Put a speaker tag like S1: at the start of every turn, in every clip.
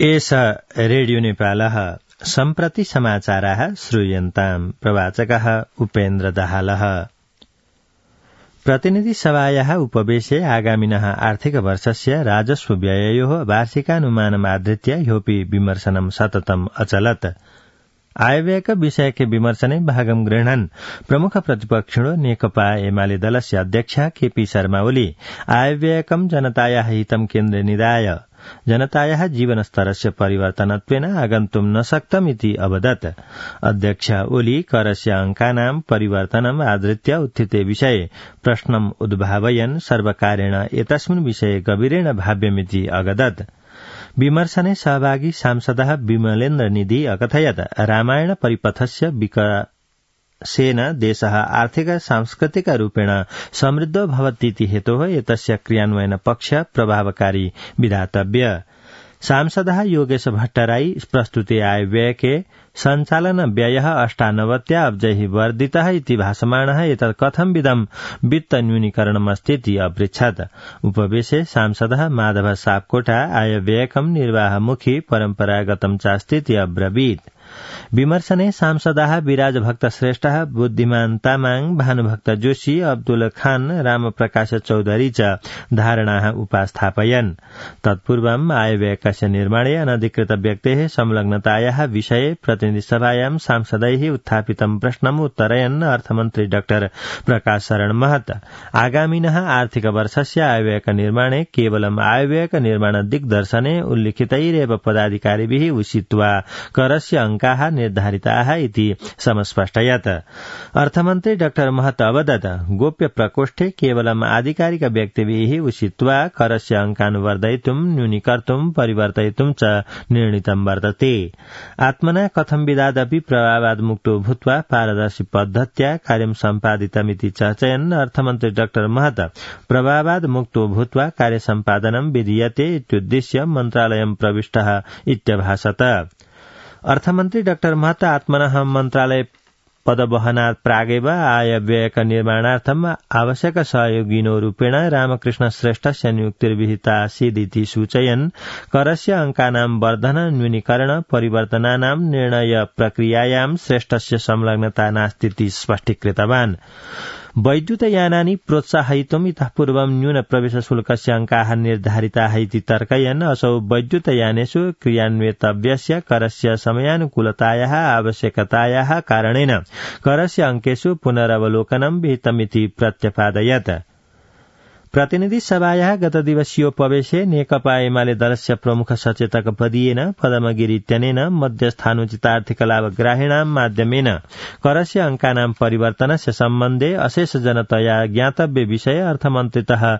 S1: एष रेडियो नेपालः सम्प्रति समाचाराः श्रूयन्ताम्। प्रवाचकः उपेन्द्र दाहालः। प्रतिनिधिसभायाः उपवेशे आगामिनः आर्थिकवर्षस्य राजस्व व्यययोः वार्षिकानुमानमाधृत्य ह्योऽपि विमर्शनं सततम् अचलत्। आयव्ययक विषयके विमर्शने भागं गृह्णन् प्रमुख प्रतिपक्षिणो नेकपा एमाले दलस्य अध्यक्ष केपी शर्मा ओली आयव्ययकं जनतायाः हितं केन्द्रे निधाय जनतायाः जीवनस्तरस्य परिवर्तनत्वेन आगन्तुं न शक्तमिति अवदत्। अध्यक्ष ओली करस्य अंकानां परिवर्तनम् आधृत्य उत्थिते विषये प्रश्नम् उद्भावयन् सर्वकारेण एतस्मिन् विषये गभीरेण भाव्यमिति अगदत्। विमर्शने सहभागी सांसदः विमलेन्द्र निधि अकथयत् रामायण परिपथस्य विकासेन देशः आर्थिक सांस्कृतिक रूपेण समृद्धो भवतीति हेतोः एतस्य क्रियान्वयन पक्ष प्रभावकारी विधातव्य। सांसदः योगेश भट्टराई प्रस्तुते आयव्ययके सञ्चालन व्ययः 98 अब्जैः वर्धितः इति भाषमाणः एतत् कथंविधं वित्त न्यूनीकरणमस्तीति अपृच्छत्। उपवेशे सांसदः माधव सापकोटा आयव्ययकं निर्वाहमुखी परम्परागतं चास्तीति अब्रवीत्। विमर्शने सांसदाः विराज भक्त श्रेष्ठः बुद्धिमान तामाङ भानुभक्त जोशी अब्दुल खान रामप्रकाश चौधरी च धारणाः उपास्थापयन्। तत्पूर्वम् आयव्ययकस्य निर्माणे अनधिकृत व्यक्तेः संलग्नतायाः विषये प्रतिनिधिसभायां सांसदैः उत्थापितं प्रश्नम् उत्तरयन् अर्थमन्त्री डाक्टर प्रकाश शरण महत आगामिनः आर्थिक वर्षस्य आयव्ययक निर्माणे केवलम् आयव्ययक निर्माण दिग्दर्शने उल्लिखितैरेव पदाधिकारिभिः उषित्वा करस्य अंकाः निर्धारिताः इति समस्पष्टयत्। अर्थमन्त्री डाक्टर महत अवदत् गोप्य प्रकोष्ठे केवलम् आधिकारिक व्यक्तिभिः उषित्वा करस्य अंकान् वर्धयितुं न्यूनीकर्तुं परिवर्तयितुं च निर्णीतं वर्तते। आत्मना कथं विधादपि प्रभावाद् मुक्तो भूत्वा पारदर्शी पद्धत्या कार्यं सम्पादितमिति चर्चयन् अर्थमन्त्री डाक्टर महत प्रभावाद् मुक्तो भूत्वा कार्य सम्पादनं विधीयते इत्युद्दिश्य मन्त्रालयं प्रविष्टः इत्यभाषत। अर्थमन्त्री डाक्टर महत आत्मनः मन्त्रालय पदवहनात् प्रागेव आयव्ययक निर्माणार्थम् आवश्यक सहयोगिनो रूपेण रामकृष्ण श्रेष्ठस्य नियुक्तिर्विहितासीदिति सूचयन् करस्य अंकानां वर्धन न्यूनीकरण परिवर्तनानां निर्णय प्रक्रियायां श्रेष्ठस्य संलग्नता नास्तीति स्पष्टीकृतवान्। वैद्युतयानानि प्रोत्साहयितुम् इतः पूर्वं न्यून प्रवेश शुल्कस्य अंकाः निर्धारिताः इति तर्कयन् असौ वैद्युतयानेषु क्रियान्वितव्यस्य करस्य समयानुकूलतायाः आवश्यकतायाः कारणेन करस्य अंकेषु पुनरवलोकनं विहितमिति प्रत्यपादयत्। प्रतिनिधि सभायाः गतदिवसीयोपवेशे नेकपा एमाले दलस्य प्रमुख सचेतक पदीयेन पदमगिरि इत्यनेन मध्यस्थानुचितार्थिक लाभग्राहिणां माध्यमेन करस्य अंकानां परिवर्तनस्य सम्बन्धे अशेष जनतया ज्ञातव्य विषये अर्थमन्त्रितः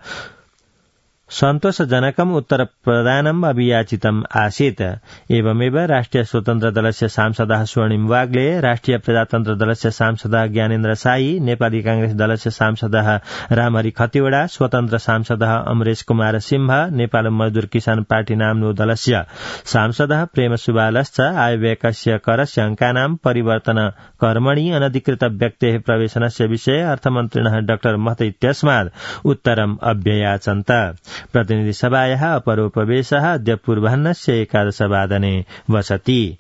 S1: सन्तोषजनकम् उत्तरप्रदानम् अभियाचितम् आसीत्। एवमेव राष्ट्रिय स्वतन्त्र दलस्य सांसदः स्वर्णिम वाग्ले, राष्ट्रिय प्रजातन्त्र दलस्य सांसदः ज्ञानेन्द्र साई, नेपाली कांग्रेस दलस्य सांसदः रामहरि खतिवड़ा, स्वतन्त्र सांसदः अमरेश कुमार सिंह, नेपाल मजदूर किसान पार्टी नाम्नो दलस्य सांसदः प्रेम सुबालश्च आयव्ययकस्य करस्य अंकानां परिवर्तन कर्मणि अनधिकृत व्यक्तेः प्रवेशनस्य विषये अर्थमन्त्रिणः डाक्टर महत इत्यस्मात् उत्तरम् अभ्ययाचन्त। प्रतिनिधि सभायाः अपरोपवेशः अद्य पूर्वाह्नस्य 11:00 वसति।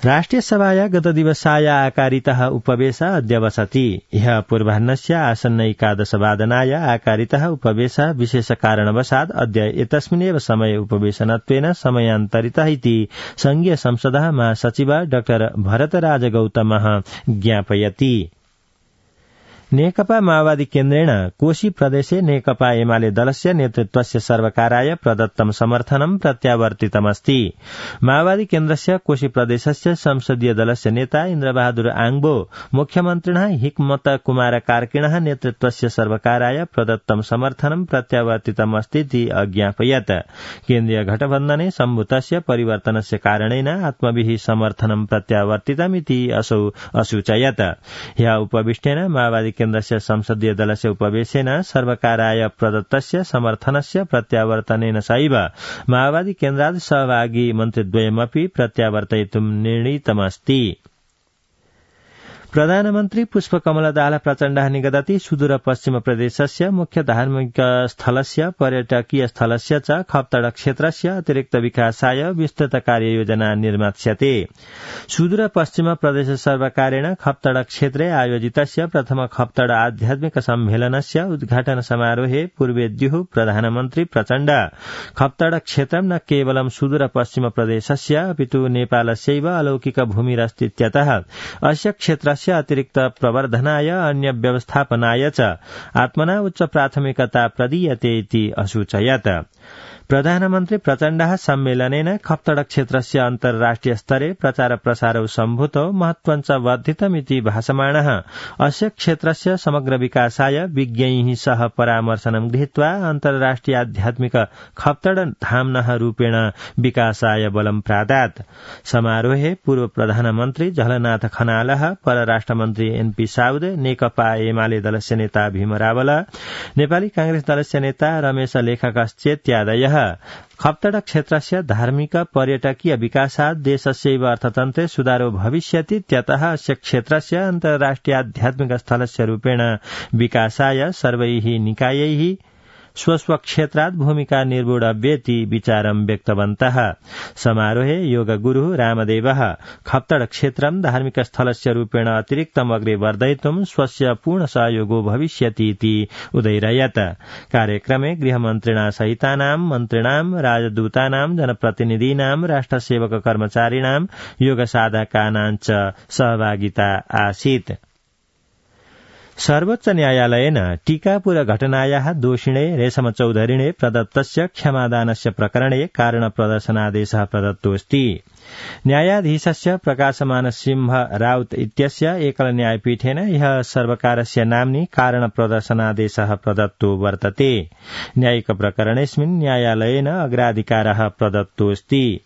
S1: राष्ट्रिय सभाया गतदिवसाय आकारितः उपवेशः अद्य वसति। ह्यः पूर्वाह्नस्य आसन्न 11:00 आकारितः उपवेशः विशेष कारणवशात् अद्य एतस्मिन्नेव समये उपवेशनत्वेन समयान्तरितः इति संघीय संसदः महासचिव डाक्टर भरतराज गौतमः ज्ञापयति। नेकपा माओवादी केन्द्रेण कोशी प्रदेशे नेकपा एमाले दलस्य नेतृत्वस्य सर्वकाराय प्रदत्तं समर्थनं प्रत्यावर्तितमस्ति। माओवादी केन्द्रस्य कोशी प्रदेशस्य संसदीय दलस्य नेता इन्द्रबहादुर आङबो मुख्यमन्त्रिणः हिक्मत कुमार कार्किणः नेतृत्वस्य सर्वकाराय प्रदत्तं समर्थनं प्रत्यावर्तितमस्तीति अज्ञापयत्। केन्द्रीय गठबन्धने सम्भूतस्य परिवर्तनस्य कारणेन आत्मभिः समर्थनं प्रत्यावर्तितमिति असौ असूचयत्। ह्यः उपविष्टेन माओवादी केन्द्रस्य संसदीय दलस्य उपवेशेन सर्वकाराय प्रदत्तस्य समर्थनस्य प्रत्यावर्तनेन सैव माओवादी केन्द्रात् सहभागी मन्त्रिद्वयमपि प्रत्यावर्तयितुं निर्णीतमस्ति। प्रधानमन्त्री पुष्पकमल दाहाल प्रचण्डः निगदति सुदूरपश्चिम प्रदेशस्य मुख्य धार्मिक स्थलस्य पर्यटकीय स्थलस्य च खप्तड क्षेत्रस्य अतिरिक्त विकासाय विस्तृत कार्ययोजना निर्मास्यते। सुदूरपश्चिम प्रदेश सर्वकारेण खप्तड क्षेत्रे आयोजितस्य प्रथम खप्तड आध्यात्मिक सम्मेलनस्य उद्घाटन समारोहे पूर्वेद्युः प्रधानमन्त्री प्रचण्ड खप्तड क्षेत्रं न केवलं सुदूरपश्चिम प्रदेशस्य अपितु नेपालस्यैव अलौकिक भूमिरस्तीत्यतः अस्य क्षेत्रस्य अतिरिक्त प्रवर्धनाय अन्य व्यवस्थापनाय च आत्मना उच्च प्राथमिकता प्रदीयते इति असूचयत्। प्रधानमन्त्री प्रचण्डः सम्मेलनेन खप्तड क्षेत्रस्य अन्तर्राष्ट्रिय स्तरे प्रचार प्रसारौ सम्भूतो महत्त्वं च वर्धितमिति भासमाणः अस्य क्षेत्रस्य समग्र विकासाय विज्ञैः सह परामर्शनं गृहीत्वा अन्तर्राष्ट्रिय आध्यात्मिक खप्तड धाम्नः रूपेण विकासाय बलं प्रादात्। समारोहे पूर्व प्रधानमन्त्री झलनाथ खनालः, परराष्ट्रमन्त्री एनपी साउद, नेकपा एमाले दलस्य नेता भीम रावल, नेपाली कांग्रेस दलस्य नेता रमेश लेखकश्चेत्यादयः खप्तड क्षेत्रस्य धार्मिक पर्यटकीय विकासात् देशस्यैव अर्थतन्त्रे सुधारो भविष्यतीत्यतः अस्य क्षेत्रस्य अन्तर्राष्ट्रिय आध्यात्मिक स्थलस्य रूपेण विकासाय सर्वैः निकायैः स्वस्वक्षेत्रात् भूमिका निर्वोढव्येति विचारं व्यक्तवन्तः। समारोहे योगगुरुः रामदेवः खप्तड क्षेत्रं धार्मिक स्थलस्य रूपेण अतिरिक्तम् अग्रे वर्धयितुं स्वस्य पूर्ण सहयोगो भविष्यति इति उदैरयत्। कार्यक्रमे गृहमन्त्रिणा सहितानां मन्त्रिणां, राजदूतानां, जनप्रतिनिधीनां, राष्ट्रसेवक कर्मचारिणां, योगसाधकानां च सहभागिता आसीत्। सर्वोच्च न्यायालयेन टीकापुर घटनायाः दोषिणे रेशम चौधरिणे प्रदत्तस्य क्षमादानस्य प्रकरणे कारण प्रदर्शनादेशः प्रदत्तोऽस्ति। न्यायाधीशस्य प्रकाशमान सिंह राउत इत्यस्य एकल न्यायपीठेन ह्यः सर्वकारस्य नाम्नि कारण प्रदर्शनादेशः प्रदत्तो वर्तते। न्यायिक प्रकरणेऽस्मिन् न्यायालयेन अग्राधिकारः प्रदत्तोऽस्ति।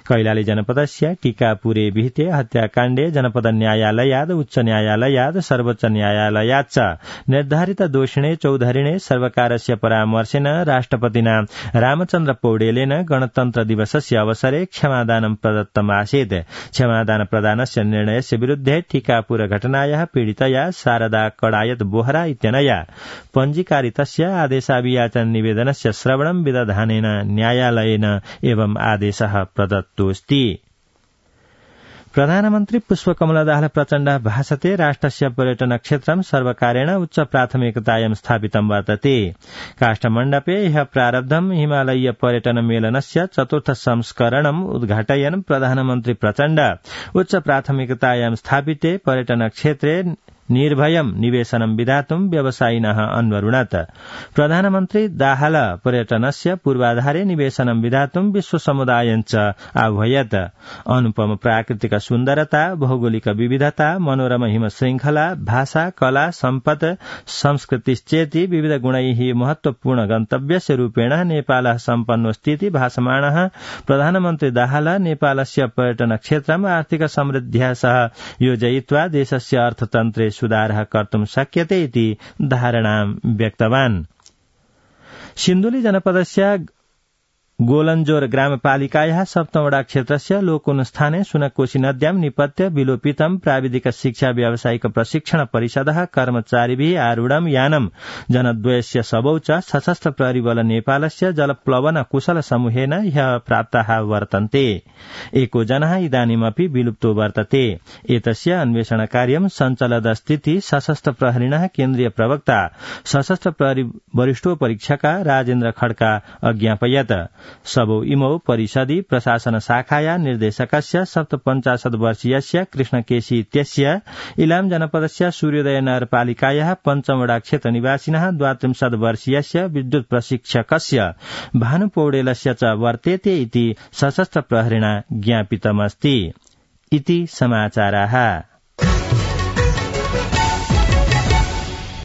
S1: कैलाली जनपदस्य टीकापुरे विहिते हत्याकाण्डे जनपद न्यायालयात्, उच्च न्यायालयात्, सर्वोच्च प्रयासयात् च निर्धारित दोषिणे चौधरिणे सर्वकारस्य परामर्शेन राष्ट्रपतिना रामचन्द्र पौडेलेन गणतन्त्र दिवसस्य अवसरे क्षमादानं प्रदत्तमासीत्। क्षमादान प्रदानस्य निर्णयस्य विरुद्धे टीकापुर घटनायाः पीडितया शारदा कडायत बोहरा इत्यनया पञ्जीकारितस्य आदेशाभियाचन निवेदनस्य श्रवणं विदधानेन न्यायालयेन एवं आदेशः प्रदत्तोऽस्ति। प्रधानमन्त्री पुष्पकमल दाहाल प्रचण्डः भाषते राष्ट्रस्य पर्यटन क्षेत्रं सर्वकारेण उच्च प्राथमिकतायां स्थापितं वर्तते। काष्ठमण्डपे ह्यः प्रारब्धं हिमालयीय पर्यटन मेलनस्य चतुर्थ संस्करणम् उद्घाटयन् प्रधानमन्त्री प्रचण्ड उच्च प्राथमिकतायां स्थापिते पर्यटन क्षेत्रे निर्भयं निवेशनं विधातुं व्यवसायिनः अन्वरुणत्। प्रधानमन्त्री दाहाल पर्यटनस्य पूर्वाधारे निवेशनं विधातुं विश्व समुदायं च आह्वयत्। अनुपम प्राकृतिक सुन्दरता, भौगोलिक विविधता, मनोरम हिम श्रृंखला, भाषा, कला, सम्पद, संस्कृतिश्चेति विविध गुणैः महत्वपूर्ण गन्तव्यस्य रूपेण नेपालः सम्पन्नोऽस्तीति भासमाणः प्रधानमन्त्री दाहाल नेपालस्य पर्यटन क्षेत्रम् आर्थिक समृद्ध्या सह योजयित्वा देशस्य अर्थतन्त्रे सुधारः कर्तुं शक्यते इति धारणां व्यक्तवान्। सिन्धुली जनपदस्य गोलन्जोर ग्रामपालिकायाः सप्तमवडा क्षेत्रस्य लोकोन्स्थाने सुनकोशी नद्यां निपत्य विलोपितं प्राविधिक शिक्षा व्यावसायिक प्रशिक्षण परिषदः कर्मचारिभिः आरूढं यानं जनद्वयस्य शवौ च सशस्त्र प्रहरी बल नेपालस्य जलप्लवन कुशल समूहेन ह्यः प्राप्ताः वर्तन्ते। एको जनः इदानीमपि विलुप्तो वर्तते। एतस्य अन्वेषण कार्यं सञ्चलदस्तीति सशस्त्र प्रहरिणः केन्द्रीय प्रवक्ता सशस्त्र प्रहरी वरिष्ठोपरीक्षका राजेन्द्र खड्का अज्ञापयत्। सबौ इमौ परिषदि प्रशासन शाखाया निर्देशकस्य 57 वर्षीयस्य कृष्णकेशी इत्यस्य, इलाम जनपदस्य सूर्योदय नगरपालिकायाः पञ्चमवडा क्षेत्र निवासिनः 32 वर्षीयस्य विद्युत प्रशिक्षकस्य भानु पौडेलस्य च वर्तेते इति सशस्त्र प्रहरिणा ज्ञापितमस्ति। इति समाचाराः।